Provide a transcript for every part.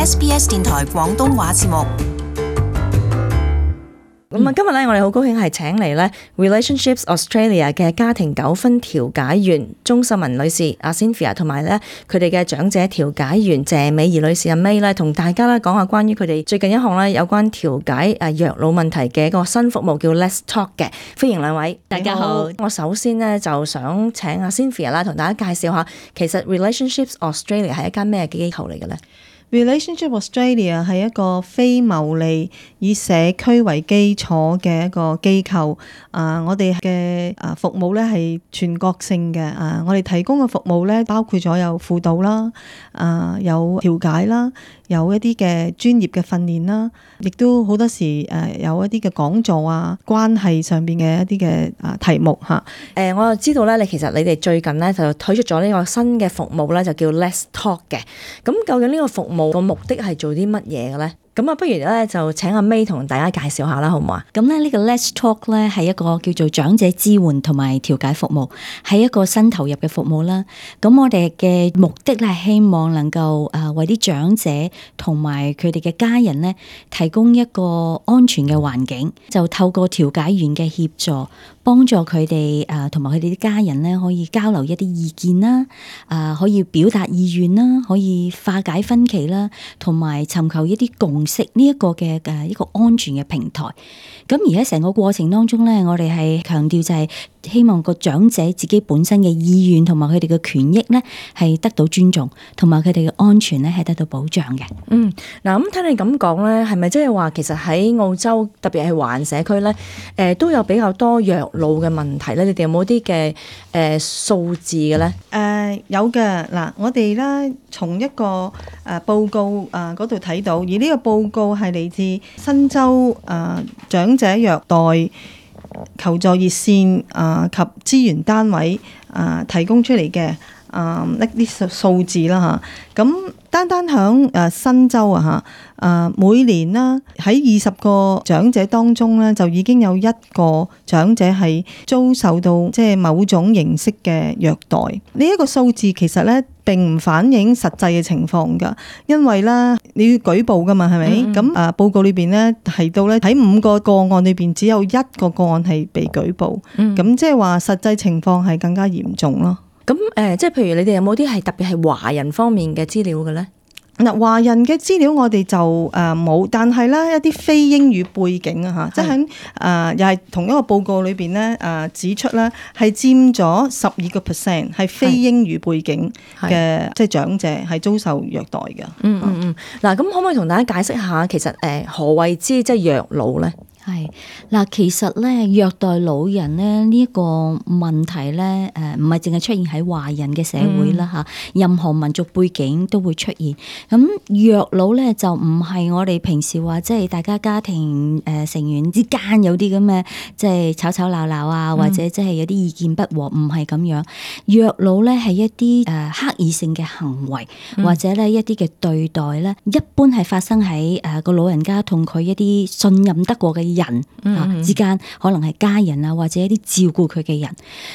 SBS 電台廣東話節目。咁今日咧，我哋好高興係請嚟咧 Relationships Australia 嘅家庭糾紛調解員鍾秀文女士阿 Cynthia， 同埋咧佢哋嘅長者調解員謝美儀女士阿 May 咧，同大家咧講下關於佢哋最近一項咧有關調解虐老問題嘅一個新服務叫 Let's Talk 嘅。歡迎兩位，大家好。我首先咧就想請阿 Cynthia 啦，同大家介紹下其實 Relationships Australia 係一間咩機構嚟嘅咧Relationship Australia 係一個非牟利以社區為基礎嘅一個機構。我哋嘅服務咧係全國性嘅。我哋提供嘅服務咧包括咗有輔導啦，有調解啦，有一啲嘅專業嘅訓練啦，亦都好多時有一啲嘅講座啊，關係上邊嘅一啲嘅題目嚇。我就知道咧，你哋最近咧就推出咗呢個新嘅服務咧，就叫 Let's Talk 嘅。咁究竟呢個服務個目的係做啲乜嘢嘅咧？咁不如咧就請阿 May 同大家介紹下啦，好唔好啊？咁咧呢個 Let's Talk 咧係一個叫做長者支援同埋調解服務，係一個新投入嘅服務啦。咁我哋嘅目的咧係希望能夠為啲長者同埋佢哋嘅家人咧提供一個安全嘅環境，就透過調解員嘅協助，幫助佢哋同埋佢哋啲家人咧可以交流一啲意見啦，可以表達意願啦，可以化解分歧啦，同埋尋求一啲共識呢一個嘅一個安全嘅平台。咁而喺成個過程當中咧，我哋係強調就係希望個長者自己本身嘅意願同埋佢哋嘅權益咧係得到尊重，同埋佢哋嘅安全咧係得到保障嘅。嗱咁聽你咁講咧，係咪即係話其實喺澳洲特別係華人社區咧，都有比較多虐老嘅問題咧？你哋有冇啲嘅數字嘅咧？有嘅。嗱，我哋咧從一個報告嗰度睇到，而呢個報告係嚟自新州長者虐待求助熱線及資源單位提供出嚟嘅一啲數字啦嚇。咁單響新州每年啦喺20個長者當中咧，就已經有一個長者係遭受到即係某種形式嘅虐待。呢一個數字其實咧並唔反映實際嘅情況㗎，因為咧你要舉報㗎嘛，係咪？咁報告裏邊咧提到咧喺5個個案裏邊只有1個個案係被舉報，咁即係話實際情況係更加嚴重咯。咁即係譬如你哋有冇啲係特別係華人方面嘅資料嘅咧？嗱，華人嘅資料我哋就冇，但係咧一啲非英語背景啊嚇，即係喺又係同一個報告裏邊咧指出咧係佔咗12%係非英語背景嘅即係長者係遭受虐待嘅。嗱，咁可唔可以同大家解釋下其實何謂之即係虐老咧？係嗱，其實咧虐待老人咧呢一個問題咧，唔係淨係出現喺華人嘅社會啦嚇，任何民族背景都會出現。咁虐老咧就唔係我哋平時話即係大家家庭成員之間有啲咁嘅即係吵吵鬧鬧啊，或者即係有啲意見不和，唔係咁樣。虐老咧係一啲刻意性嘅行為，或者咧一啲嘅對待咧，一般係發生喺個老人家同佢一啲信任得過嘅人之間，可能係家人啊，或者一啲照顧佢嘅人，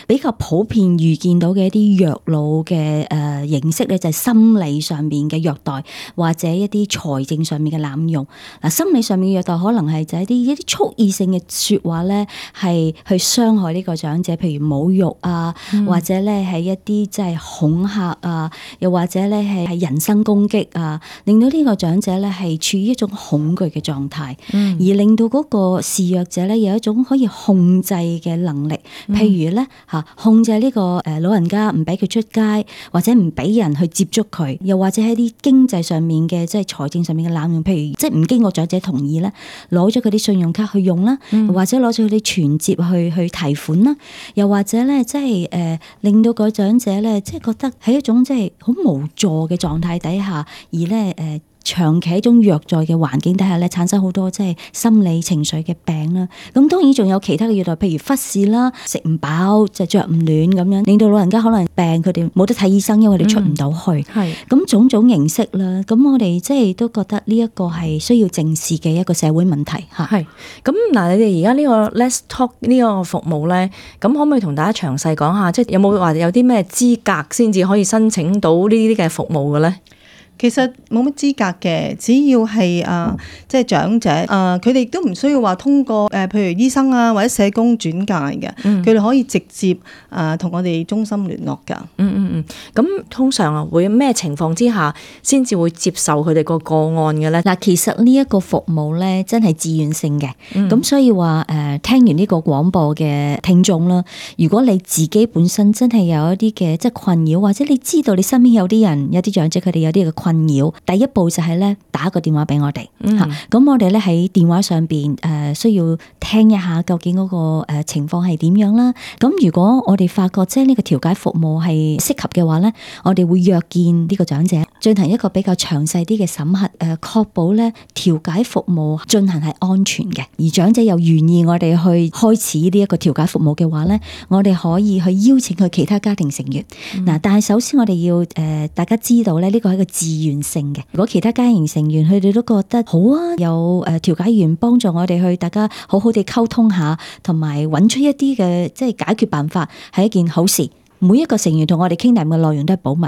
比較普遍遇見到嘅一啲虐老嘅形式咧，就係心理上面嘅虐待，或者一啲財政上面嘅濫用。嗱，心理上面嘅虐待可能係就係一啲蓄意性嘅說話咧，係去傷害呢個長者，譬如侮辱啊，或者咧係一啲即係恐嚇啊，又或者咧係人身攻擊啊，令到呢個長者咧係處於一種恐懼嘅狀態，而令到嗰個示弱者咧有一種可以控制嘅能力，譬如咧控制呢個老人家唔俾佢出街，或者唔俾人去接觸佢，又或者喺啲經濟上面嘅即係財政上面嘅濫用，譬如即係唔經過長者同意咧，攞咗佢啲信用卡去用啦，或者攞咗佢啲存摺去提款啦，又或者咧即係令到個長者咧即係覺得喺一種即係好無助嘅狀態底下，而咧長期一種虐待嘅環境底下咧，產生好多即係心理情緒嘅病啦。咁當然仲有其他嘅虐待，譬如忽視啦、食唔飽、就着唔暖咁樣，令到老人家可能病，佢哋冇得睇醫生，因為佢哋出唔到去。咁種種形式啦。咁我哋即係都覺得呢一個係需要正視嘅一個社會問題嚇。係。咁嗱，你哋而家呢個 Let's Talk 呢個服務咧，咁可唔可以同大家詳細講下，即係有冇話有啲咩資格先至可以申請到呢啲嘅服務嘅咧？其實冇乜資格嘅，只要係即係長者佢哋都唔需要話通過譬如醫生啊或者社工轉介嘅，佢哋可以直接同我哋中心聯絡㗎。咁通常會咩情況之下先至會接受佢哋個個案嘅咧？嗱，其實呢一個服務咧真係自願性嘅，咁所以話聽完呢個廣播嘅聽眾啦，如果你自己本身真係有一啲嘅即係困擾，或者你知道你身邊有啲人有啲長者佢哋有啲嘅困擾，第一步就係咧打個電話俾我哋嚇，咁我哋咧喺電話上邊需要聽一下究竟嗰個情況係點樣啦。咁如果我哋發覺即係呢個調解服務係適合嘅話咧，我哋會約見呢個長者進行一個比較詳細啲嘅審核，確保咧調解服務進行係安全嘅，而長者又願意我哋去開始呢一個調解服務嘅話咧，我哋可以去邀請佢其他家庭成員。嗱，但係首先我哋要大家知道咧，呢個係一個自願性嘅。如果其他家庭成員佢哋都覺得好啊，有調解員幫助我哋去大家好好地溝通下，同埋揾出一啲嘅即係解決辦法，係一件好事。每一個成員同我哋傾談嘅內容都係保密。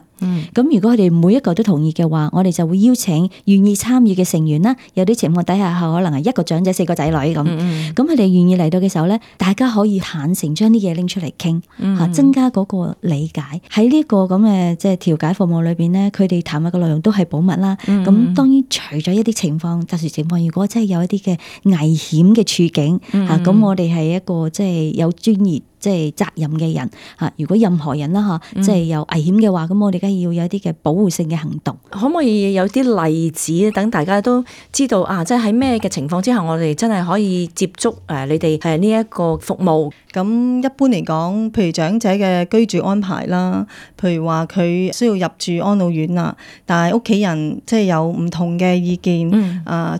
咁如果佢哋每一個都同意嘅話，我哋就會邀請願意參與嘅成員啦。有啲情況底下可能係一個長者4個仔女咁。咁佢哋願意嚟到嘅時候咧，大家可以坦誠將啲嘢拎出嚟傾，增加嗰個理解。喺呢個咁嘅即係調解服務裏邊咧，佢哋談嘅內容都係保密啦。咁當然除咗一啲情況特殊情況，如果真係有一啲嘅危險嘅處境咁我哋係一個即係有專業即係責任嘅人嚇，如果任何人啦嚇，即係有危險嘅話，咁我哋梗係要有一啲嘅保護性嘅行動。可唔可以有啲例子，等大家都知道即係喺咩嘅情況之下，我哋真係可以接觸你哋呢一個服務？咁一般嚟講，譬如長者嘅居住安排啦，譬如話佢需要入住安老院啦，但係屋企人即係有唔同嘅意見，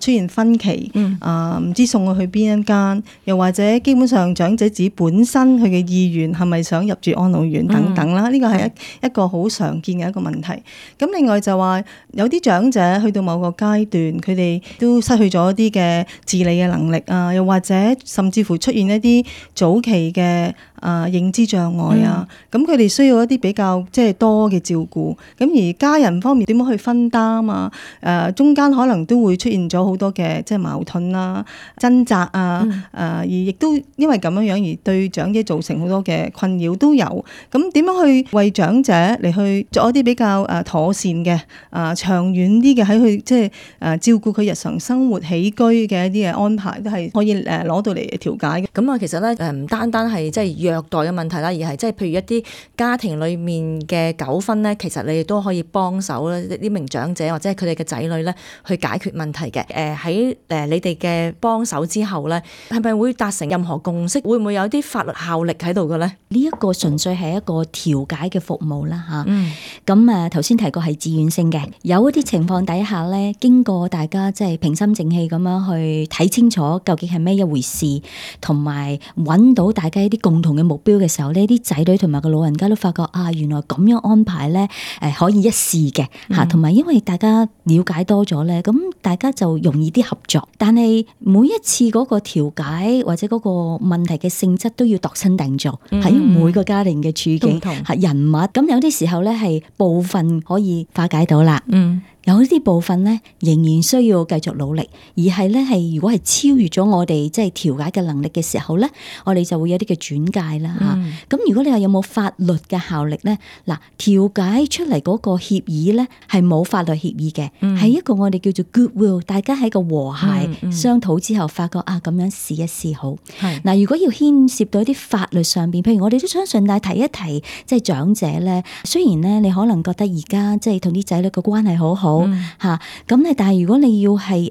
出現分歧，唔知送佢去邊一間，又或者基本上長者自己本身佢嘅意願係咪想入住安老院等等啦，呢個係一個好常見嘅一個問題。咁另外就話有啲長者去到某個階段，佢哋都失去咗一啲嘅自理嘅能力啊，又或者甚至乎出現一啲早期嘅認知障礙啊，咁佢哋需要一啲比較即係多嘅照顧，咁而家人方面點樣去分擔啊？中間可能都會出現咗好多嘅即係矛盾啊、掙扎啊，而亦都因為咁樣而對長者造成好多嘅困擾都有。咁點樣去為長者嚟去做一啲比較妥善嘅長遠啲嘅喺去即係照顧佢日常生活起居嘅一啲嘅安排，都係可以攞到嚟調解嘅。咁其實咧唔單單係即係虐待嘅問題啦，而係即係譬如一啲家庭裏面嘅糾紛咧，其實你哋都可以幫手咧，呢名長者或者係佢哋嘅仔女咧去解決問題嘅。喺你哋嘅幫手之後咧，係咪會達成任何共識？會唔會有啲法律效力喺度嘅咧？呢一個純粹係一個調解嘅服務啦嚇。咁頭先提過係自願性嘅，有一啲情況底下咧，經過大家即係平心靜氣咁樣去睇清楚究竟係咩一回事，同埋揾到大家一啲共同嘅目標嘅時候，呢啲仔女同埋個老人家都發覺原來咁樣安排咧可以一試嘅嚇，同埋因為大家了解多咗咧，咁大家就容易啲合作。但係每一次嗰個調解或者嗰個問題嘅性質都要度身訂造，喺每個家庭嘅處境係人物，咁有啲時候咧係部分可以化解到啦。有啲部分咧仍然需要繼續努力，而係咧係如果係超越咗我哋即係調解嘅能力嘅時候咧，我哋就會有啲嘅轉介啦嚇。咁如果你話有冇法律嘅效力咧，嗱，調解出嚟嗰個協議咧係冇法律協議嘅，係一個我哋叫做 goodwill， 大家喺個和諧商討之後發覺咁樣試一試好。嗱，如果要牽涉到一啲法律上邊，譬如我哋都想順帶提一提，即係長者咧，雖然咧你可能覺得而家即係同啲仔女嘅關係好好。咁咧，但係如果你要係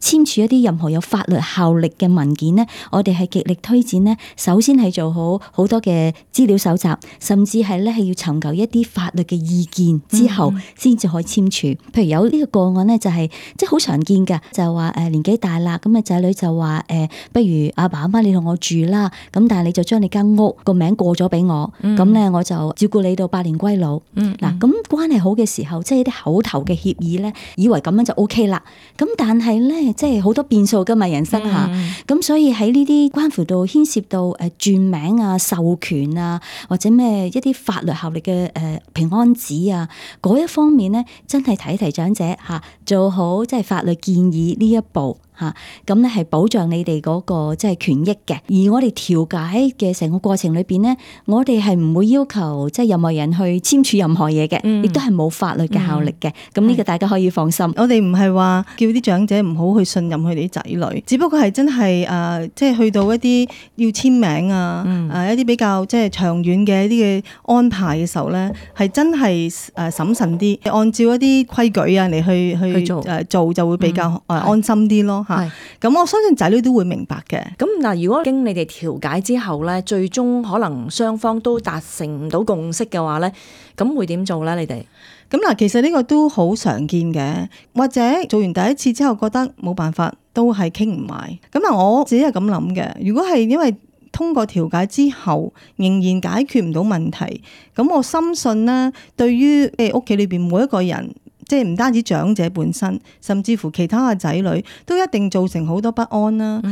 簽署一啲任何有法律效力嘅文件咧，我哋係極力推薦咧，首先係做好好多嘅資料搜集，甚至係咧係要尋求一啲法律嘅意見之後，先至可以簽署。譬如有呢個個案咧，就係即係好常見㗎，就係話年紀大啦，咁仔女就話不如阿爸阿媽你同我住啦，咁但係你就將你間屋個名過咗俾我，咁咧我就照顧你到百年歸老。嗱，咁關係好嘅時候，即係啲口頭嘅協議咧，以為咁樣就 OK 啦。咁但係咧，即係好多變數㗎嘛，人生嚇。咁所以喺呢啲關乎到牽涉到轉名啊、授權啊，或者咩一啲法律效力嘅平安紙啊，嗰一方面咧，真係提一提長者嚇，做好即係法律建議呢一步。咁咧係保障你哋嗰個即係權益嘅，而我哋調解嘅成個過程裏邊咧，我哋係唔會要求即係任何人去簽署任何嘢嘅，亦都係冇法律嘅效力嘅。咁呢個大家可以放心。我哋唔係話叫啲長者唔好去信任佢哋啲仔女，只不過係真係即係去到一啲要簽名啊，一啲比較即係長遠嘅一啲嘅安排嘅時候咧，係真係審慎啲，按照一啲規矩啊嚟去做就會比較安心啲咯。咁我相信仔女都會明白嘅。咁嗱，如果經你哋調解之後咧，最終可能雙方都達成唔到共識嘅話咧，咁會點做咧？你哋咁嗱，其實呢個都好常見嘅，或者做完第一次之後覺得冇辦法，都係傾唔埋。咁嗱，我自己係咁諗嘅。如果係因為通過調解之後仍然解決唔到問題，咁我深信咧，對於屋企裏邊每一個人。即係唔單止長者本身，甚至乎其他嘅仔女都一定造成好多不安啦。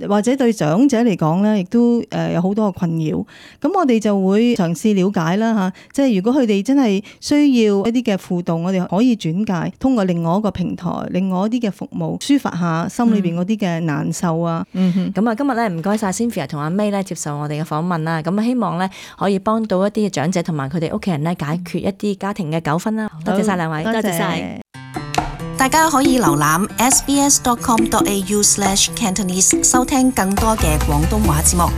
或者對長者嚟講咧，亦都有好多嘅困擾。咁我哋就會嘗試了解啦嚇。即係如果佢哋真係需要一啲嘅輔導，我哋可以轉介通過另外一個平台、另外一啲嘅服務，抒發下心裏邊嗰啲嘅難受啊。咁啊，今日咧唔該晒 Cynthia 同阿 May 咧接受我哋嘅訪問啦。咁啊，希望咧可以幫到一啲嘅長者同埋佢哋屋企人咧解決一啲家庭嘅糾紛啦。多謝晒兩位。多謝晒，大家可以瀏覽 sbs.com.au/Cantonese 收聽更多嘅廣東話節目。